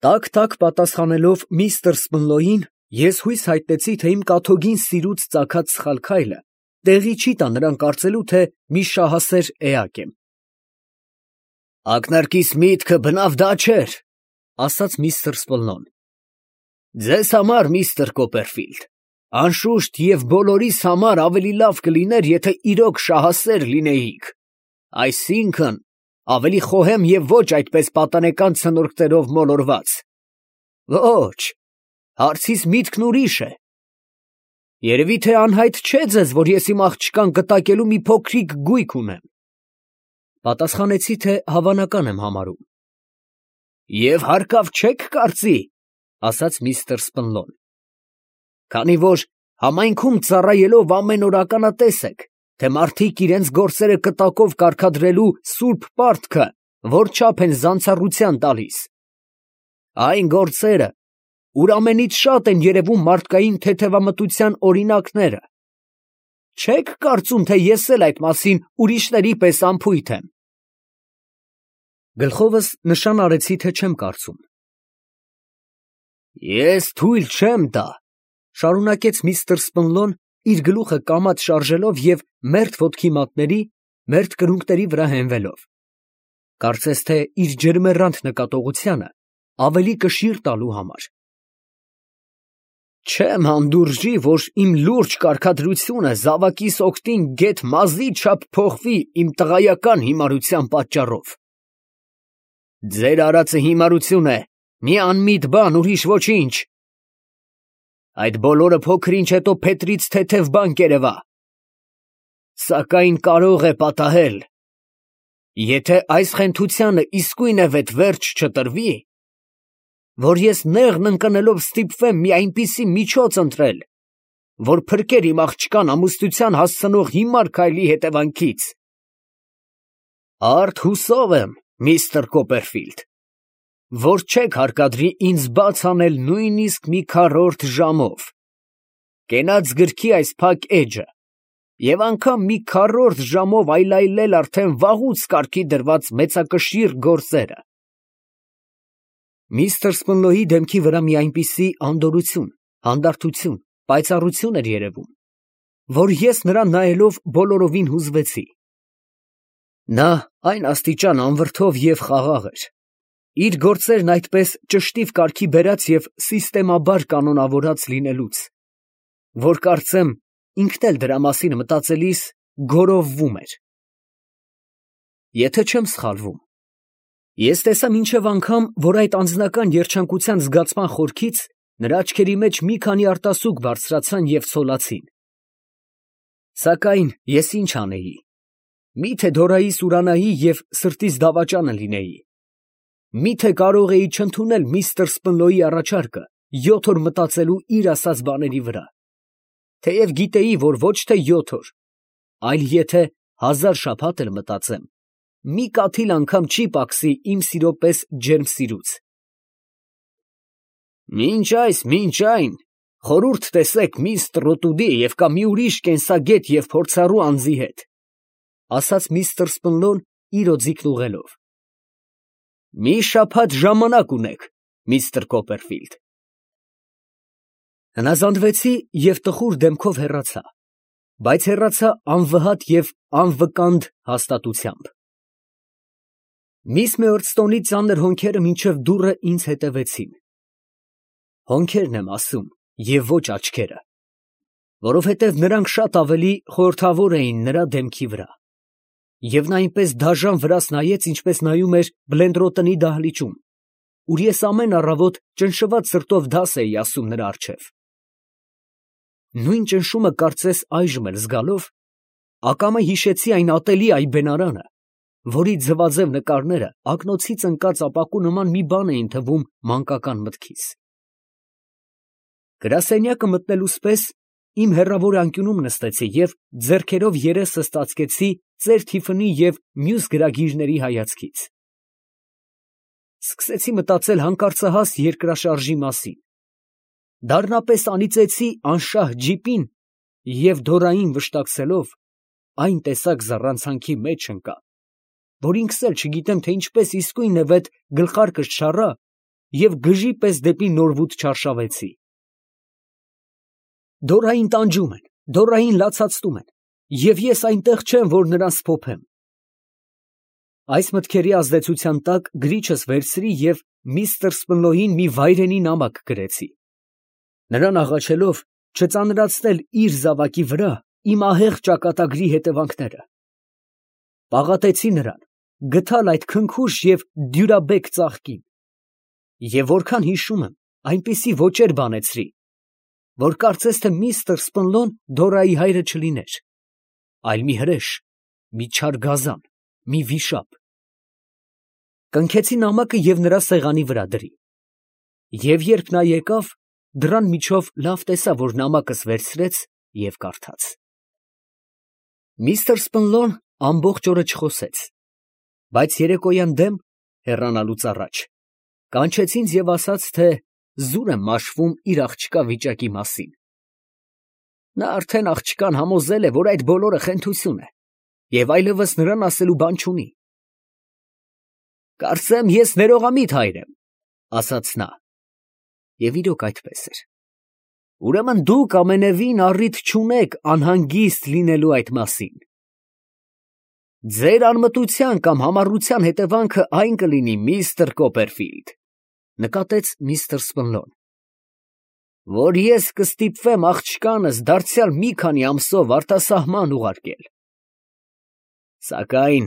Տակ պատասխանելով միստր Սպնլոյին, ես հույս հայտնեցի, թե իմ կաթոգին սիրուց ծագած սխալ քայլը տեղի չի տա նրան կարծելու, թե մի շահասեր էակ եմ։ «Ակնարկիս միտքը բնավ դա չէր, ֊ ասաց միստր Սպլնոն։ Ձեզ համար, միստր Կոպերֆիլդ, անշուշտ և բոլորիս համար ավելի լավ կլիներ, եթե իրոք շահասեր լինեիք, այսինքն ավելի խոհեմ և ոչ այդպես պատանեկան ցնորքներով մոլորված։ Ոչ, հարցիս միտքն ուրիշ է։ Երևի թե անհայտ չէ ձեզ, որ ես իմ աղջկան կտակելու մի փոքրիկ գույք ունեմ։ Պատասխանեցի, թե հավանական եմ համարում։ Եվ հարկավ չեք կարծի, ասաց միստր Սպնլոն, քանի որ համայնքում ծառայելով ամեն օր ականատես եք, թե մարդիկ իրենց գործերը կտակով կարգադրելու սուրբ պարտքը որչափ են զանցառության տալիս։ Այն գործերը, ուր ամենից շատ են երևում մարդկային թեթևամտության օրինակները։ Չեք կարծում, թե ես էլ այդ մասին ուրիշների պես անփույթ եմ։ Գլխովս նշան արեցի, թե չեմ կարծում։ Ես թույլ չեմ տա, շարունակեց միստր Սպնլոն, իր գլուխը կամաց շարժելով և մերթ ոտքի մատների, մերթ կրունկների վրա հենվելով, կարծես թե իր ջերմեռանդ նկատողությանը ավելի կշիռ տալու համար։ Չեմ հանդուրժի, որ իմ լուրջ կարգադրությունը զավակիս օգտին գեթ մազի չափ փոխվի իմ տղայական հիմարության պատճառով։ Ձեր արածը հիմարություն է, մի անմիտ բան, ուրիշ ոչինչ։ Այդ բոլորը փոքր-ինչ հետո փետրից թեթև բան կերևա, սակայն կարող է պատահել, եթե այս խենթությանը իսկույնևեթ վերջ չտրվի, որ ես նեղն ընկնելով ստիպվեմ մի այնպիսի միջոց ընտրել, որ փրկեր իմ աղջկան ամուսնության հասցնող հիմար քայլի հետևանքից։ Արդ հուսով եմ, միստր Կոպերֆիլդ, որ չեք հարկադրի ինձ բաց անել նույնիսկ մի քառորդ ժամով, կենաց գրքի այս փակ էջը և անգամ մի քառորդ ժամով այլայլել արդեն վաղուց կարգի դրված մեծակշիռ գործերը։ Միստր Սպնլոյի դեմքի վրա մի այնպիսի անդորրություն, հանդարտություն, պայծառություն էր երևում, որ ես նրան նայելով բոլորովին հուզվեցի։ Նա այն աստիճան անվրդով և խաղաղ էր, իր գործերն այդպես ճշտիվ կարգի բերած և սիստեմաբար կանոնավորած լինելուց, որ կարծեմ ինքն էլ դրա մասին մտածելիս գոռովվում էր։ Եթե չեմ սխալվում, ես տեսա մինչև անգամ, որ այդ անձնական երջանկության զգացման խորքից նրա աչքերի մեջ մի քանի արտասուք բարձրացան և ցոլացին։ Սակայն ես ինչ անեի, միթե դորայիս ուրանայի և սրտիս դավաճանը լինեի, միթե կարող էի չընդունել միստր Սպնլոյի առաջարկը 7 օր մտածելու իր ասած բաների վրա, թեև գիտեի, որ ոչ թե 7 օր, այլ եթե 1000 շաբաթ էլ մտածեմ, մի կաթիլ անգամ չի պակսի իմ սիրո պես ջերմ սիրուց։ Մինչ այն, խորհուրդ տեսեք միստր Տրոտուդի և կամ մի ուրիշ կենսագետ և փորձառու անձի հետ, ասաց միստր Սպնլոն իր օձիքն ուղղելով։ Մի շաբաթ ժամանակ ունեք, միստր Կոպերֆիլդ։ Հնազանդվեցի և տխուր դեմքով հեռացա, բայց հեռացա անվհատ և անվկանդ հաստատությամբ։ Միս Մեորստոնի ծանր հոնքերը մինչև դուռը ինձ հետևեցին։ Հոնքերն եմ ասում և ոչ աչքերը, որովհետև նրանք շատ ավելի խորհրդավոր էին նրա դեմքի վրա, և նա այնպես դաժան վրաս նայեց, ինչպես նայում էր Բլենդրոտոնի դահլիճում, ուր ես ամեն առավոտ ճնշված սրտով դաս էի ասում նրա առջև։ Նույն ճնշումը կարծես այժմ էլ զգալով, ակամա հիշեցի այն ատելի այբենարանը, որի ձվաձև նկարները ակնոցից ընկած ապակու նման մի բան էին թվում մանկական մտքիս։ Գրասենյակը մտնելուս պես իմ հեռավոր անկյունում նստեցի և ձեռքերով երեսս ծածկեցի ծեր Թիֆնի և մյուս գրագիրների հայացքից։ Սկսեցի մտածել հանկարծահաս երկրաշարժի մասին, դառնապես անիծեցի անշահ ջիպին և դորային վշտակցելով այն տեսակ զառանցանքի մեջ ընկա, որ ինքս էլ չգիտեմ, թե ինչպես իսկույնևեթ գլխարկս չառա և գժի պես դեպի նորվուտ չարշավեցի։ Դորային տանջում են, Դորային լացացնում են, և ես այնտեղ չեմ, որ նրան սփոփեմ։ Այս մտքերի ազդեցության տակ գրիչս վերցրի և միստր Սպլոյին մի վայրենի նամակ գրեցի, նրան աղաչելով չծանրացնել իր զավակի վրա իմ ահեղ ճակատագրի հետևանքները։ Պաղատեցի նրան գթալ այդ քնքուշ և դյուրաբեկ ծաղկին, և որքան հիշում եմ, այնպիսի ոճեր բանեցրի, որ կարծես թե միստր Սպլոն Դորայի հայրը չլիներ, այլ մի հրեշ, մի չար գազան, մի վիշապ։ Կնքեցի նամակը և նրա սեղանի վրա դրի, և երբ նա եկավ, դռան միջով լավ տեսա, որ նամակս վերցրեց և կարդաց։ Միստր Սպլոն ամբողջ օրը չխոսեց, բայց երեկոյան դեմ, հեռանալուց առաջ, կանչեց ինձ և ասաց, թե զուր եմ մաշվում իր աղջկա վիճակի մասին։ Նա արդեն աղջկան համոզել է, որ այդ բոլորը խենթություն է, և այլևս նրան ասելու բան չունի։ «Կարծեմ, ես ներողամիտ հայր եմ», ֊ ասաց նա, և իրոք այդպես էր։ «Ուրեմն դուք ամենևին առիթ չունեք անհանգիստ լինելու այդ մասին։ Ձեր անմտության կամ համառության հետևանքը այն կլինի, միստր Կոպերֆիլդ, ֊ նկատեց միստր Սպլոն, ֊ որ ես կստիպվեմ աղջկանս դարձյալ մի քանի ամսով արտասահման ուղարկել։ Սակայն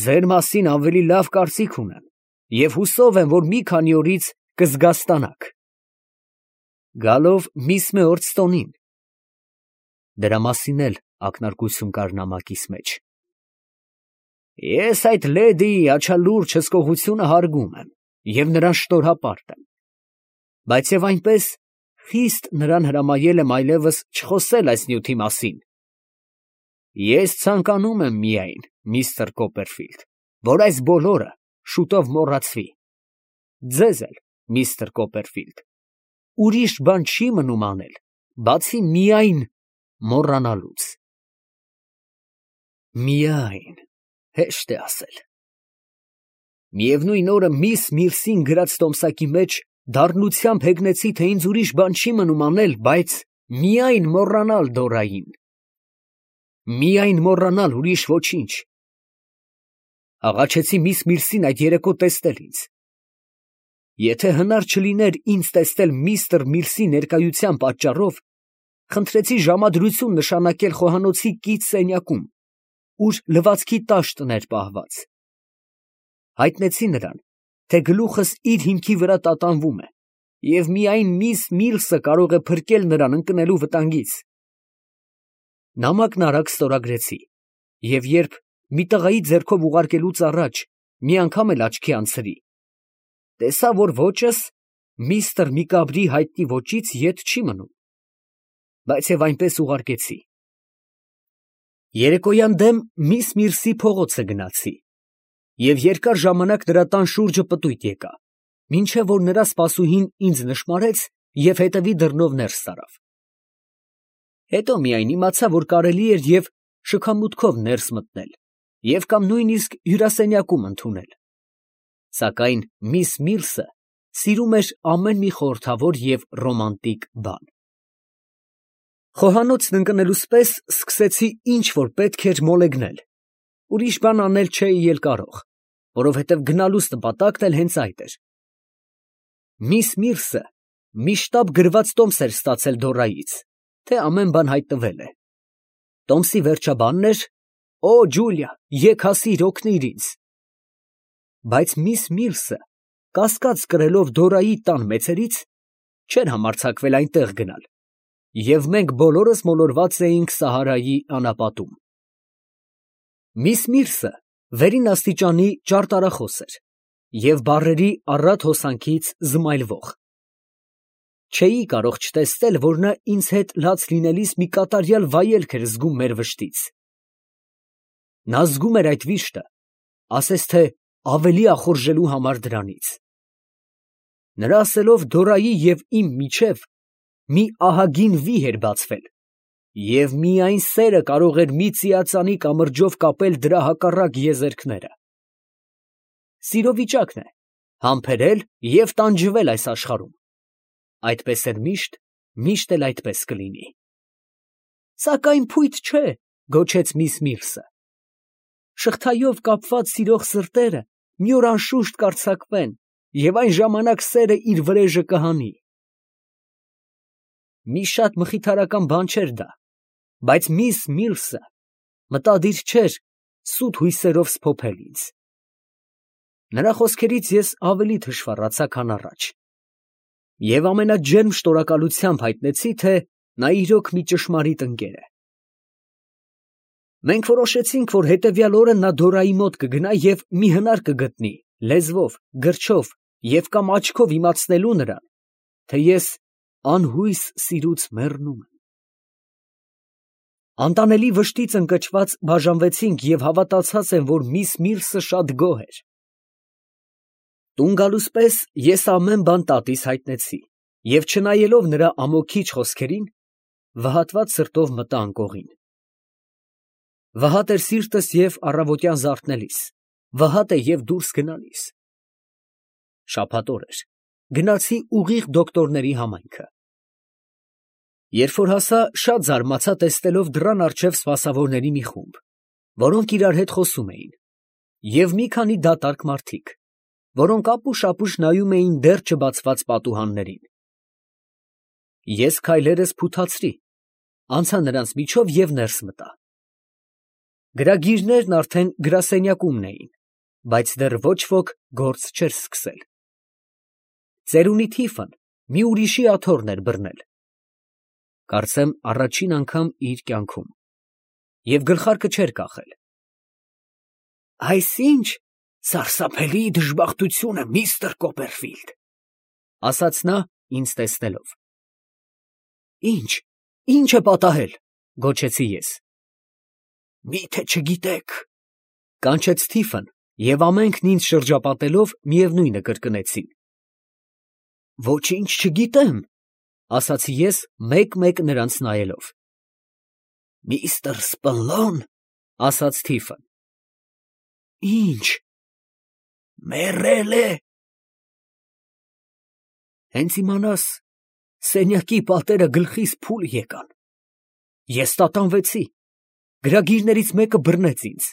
ձեր մասին ավելի լավ կարծիք ունեմ և հուսով եմ, որ մի քանի օրից կզգաստանաք, գալով միս Մեորդստոնին (դրա մասին էլ ակնարկություն կար նամակիս մեջ)։ Ես այդ լեդիի աչալուրջ հսկողությունը հարգում եմ և նրան շնորհապարտ եմ, բայց և այնպես խիստ նրան հրամայել եմ այլևս չխոսել այս նյութի մասին։ Ես ցանկանում եմ միայն, միստր Կոպերֆիլդ, որ այս բոլորը շուտով մոռացվի։ Ձեզ էլ, միստր Կոպերֆիլդ, ուրիշ բան չի մնում անել, բացի միայն մոռանալուց։ Միայն, հեշտ է ասել։ Միևնույն օրը միս Միրսին գրած տոմսակի մեջ դառնությամբ հեգնեցի, թե ինձ ուրիշ բան չի մնում անել, բայց միայն մոռանալ Դորային։ Միայն մոռանալ, ուրիշ ոչինչ։ Աղաչեցի միս Միրսին այդ երեկո տեսնել ինձ։ Եթե հնար չլիներ ինձ տեսնել միստր Միրսի ներկայության պատճառով, խնդրեցի ժամադրություն նշանակել խոհանոցի կից սենյակում, ուր լվացքի տաշտն էր պահված։ Հայտնեցի նրան, թե գլուխս իր հիմքի վրա տատանվում է, և միայն միս Միլսը կարող է փրկել նրան ընկնելու վտանգից։ Նամակն արագ ստորագրեցի, և երբ մի տղայի ձեռքով ուղարկելուց առաջ մի անգամ էլ աչքի անցրի, տեսա, որ ոճս միստր Միկաբրի հայտնի ոճից ետ չի մնում, բայց և այնպես ուղարկեցի։ Երեկոյան դեմ միս Միրսի փողոցը գնացի, և երկար ժամանակ նրա տան շուրջը պտույտ եկա, մինչև որ նրա սպասուհին ինձ նշմարեց և հետևի դռնով ներս տարավ։ Հետո միայն իմացա, որ կարելի էր և շքամուտքով ներս մտնել և կամ նույնիսկ հյուրասենյակում ընդունել։ Սակայն միս Միլսը սիրում էր ամեն մի խորհրդավոր և ռոմանտիկ բան։ Խոհանոցն ընկնելուս պես սկսեցի ինչ որ պետք էր մոլեգնել, ուրիշ բան անել չէի էլ կարող, որովհետև գնալուս նպատակն էլ հենց այդ էր։ Միս Միրսը մի շտապ գրված տոմս էր ստացել Դորայից, թե ամեն բան հայտնվել է։ Տոմսի վերջաբանն էր. «Օ, Ջուլիա, եկ հասիր, օգնիր ինձ»։ Բայց միս Միլսը, կասկած կրելով Դորայի տան մեծերից, չէր համարձակվել այնտեղ գնալ, և մենք բոլորս մոլորված էինք Սահարայի անապատում։ Միս Միրսը վերին աստիճանի ճարտարախոս էր և բառերի առատ հոսանքից զմայլվող։ Չէի կարող չտեսնել, որ նա ինձ հետ լաց լինելիս մի կատարյալ վայելք էր զգում մեր վշտից։ Նա զգում էր այդ վիշտը, ասես թե ավելի ախորժելու համար դրանից։ Նրա ասելով, Դորայի և իմ միջև մի ահագին վիհ էր բացվել, և միայն սերը կարող էր մի ծիածանի կամրջով կապել դրա հակառակ եզերքները։ Սիրո վիճակն է, համբերել և տանջվել այս աշխարհում։ Այդպես էր միշտ, միշտ էլ այդպես կլինի։ Սակայն փույթ չէ, գոչեց միս Միլսը։ Շղթայով կապված սիրող սրտերը մի օր անշուշտ կարձակվեն, և այն ժամանակ սերը իր վրեժը կհանի։ Մի շատ մխիթարական բան չէր դա, բայց միս Միլսը մտադիր չէր սուտ հույսերով սփոփել ինձ։ Նրա խոսքերից ես ավելի թշվառացա, քան առաջ, և ամենաջերմ շնորհակալությամբ հայտնեցի, թե նա իրոք մի ճշմարիտ ընկեր է։ Մենք որոշեցինք, որ հետևյալ օրը նա Դորայի մոտ կգնա և մի հնար կգտնի լեզվով, գրչով և կամ աչքով իմացնելու նրան, թե ես անհույս սիրուց մեռնում եմ։ Անտանելի վշտից ընկճված բաժանվեցինք և հավատացած եմ, որ միս Միլսը շատ գոհ էր։ Տուն գալուս պես ես ամեն բան տատիս հայտնեցի և չնայելով նրա ամոքիչ խոսքերին, վհատված սրտով մտա անկողին։ Վհատ էր սիրտս և առավոտյան զարթնելիս, վհատ է և դուրս գնալիս։ Շաբաթ օր էր, գնացի ուղիղ դոկտորների համայնքը։ Երբ որ հասա, շատ զարմացա տեսնելով դռան առջև սպասավորների մի խումբ, որոնք իրար հետ խոսում էին, և մի քանի դատարկ մարդիկ, որոնք ապուշ-ապուշ նայում էին դեռ չբացված պատուհաններին։ Ես քայլերս փութացրի, անցա նրանց միջով և ներս մտա։ Գրագիրներն արդեն գրասենյակումն էին, բայց դեռ ոչ ոք գործ չէր սկսել։ Ծերունի թիֆն մի ուրիշի աթոռն էր բռնել, կարծեմ առաջին անգամ իր կյանքում, և գլխարկը չէր կախել։ «Այս ի՞նչ սարսափելի դժբախտություն է, միստր Կոպերֆիլդ», ֊ ասաց նա ինձ տեսնելով։ «Ի՞նչ է պատահել», ֊ գոչեցի ես։ «Մի՞թե չգիտեք», ֊ կանչեց թիֆն, և ամենքն ինձ շրջապատելով միևնույնը կրկնեցին։ «Ոչինչ չգիտեմ», ֊ ասացի ես մեկ֊մեկ նրանց նայելով։ «Միստր Սպընլոն, ֊ ասաց թիֆն։ ֊ Ի՞նչ։ ֊ Մեռել է։ Հենց իմանաս, սենյակի պատերը գլխիս փուլ եկան։ Ես տատանվեցի, գրագիրներից մեկը բռնեց ինձ։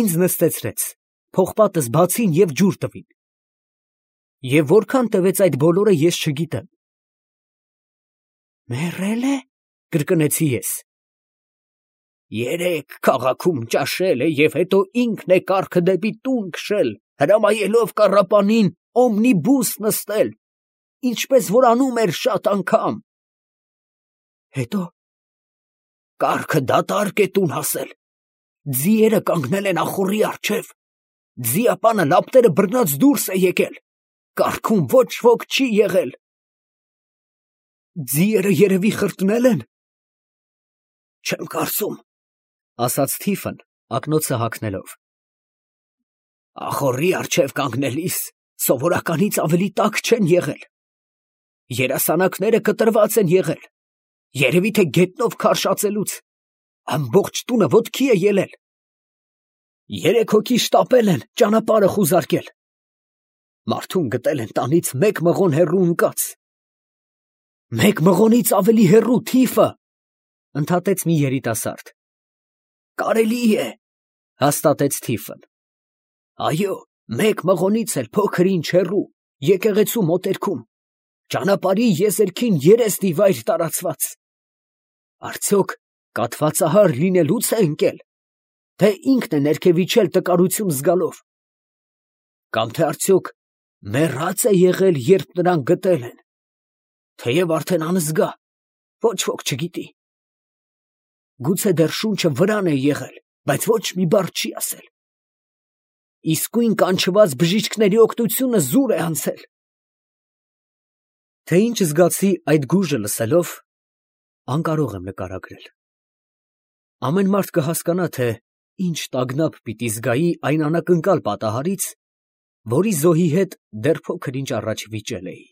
Ինձ նստեցրեց, պողպատս բացին և ջուր տվին։ Եվ որքան տևեց այդ բոլորը, ես չգիտեմ։ Մեռել է, ֊ կրկնեցի ես։ Երեկ քաղաքում ճաշել է և հետո ինքն է կառքը դեպի տուն քշել, հրամայելով կառապանին օմնիբուս նստել, ինչպես որ անում էր շատ անգամ։ Հետո կառքը դատարկ է տուն հասել, ձիերը կանգնել են ախոռի առջև, ձիապանը լապտերը բռնած դուրս է եկել, կառքում ոչ ոք չի եղել։ Ձիերը երևի խրտնել են։ Չեմ կարծում, ֊ ասաց թիֆն, ակնոցը հագնելով։ Ախոռի առջև կանգնելիս սովորականից ավելի տաք չեն եղել։ Երասանակները կտրված են եղել, երևի թե գետնով քարշացելուց, ամբողջ տունը ոտքի է ելել։ 3 հոգի շտապել են ճանապարհը խուզարկել։ Մարդուն գտել են տանից 1 մղոն հեռու ընկած։ 1 մղոնից ավելի հեռու, թիֆը, ֊ ընդհատեց մի երիտասարդ։ Կարելի է, ֊ հաստատեց թիֆն։ Այո, 1 մղոնից էլ փոքր ինչ հեռու, եկեղեցու մոտերքում, ճանապարհի եզերքին երեստ ի վայր տարածված։ Արդյոք կաթվածահար լինելուց է ընկել, թե ինքն է ներքև իջել տկարություն զգալով։ Կամ թե արդյոք մեռած է եղել, երբ նրան գտել են, թեև արդեն անզգա, ոչ ոք չգիտի։ Գուցե դեռ շունչը վրան է եղել, բայց ոչ մի բառ չի ասել։ Իսկույն կանչված բժիշկների օգնությունը զուր է անցել։ Թե ինչ զգացի այդ գուժը լսելով, անկարող եմ նկարագրել։ Ամեն մարդ կհասկանա, թե ինչ տագնապ պիտի զգայի այն անակնկալ պատահարից, որի զոհի հետ դեռ փոքր ինչ առաջ վիճել էի։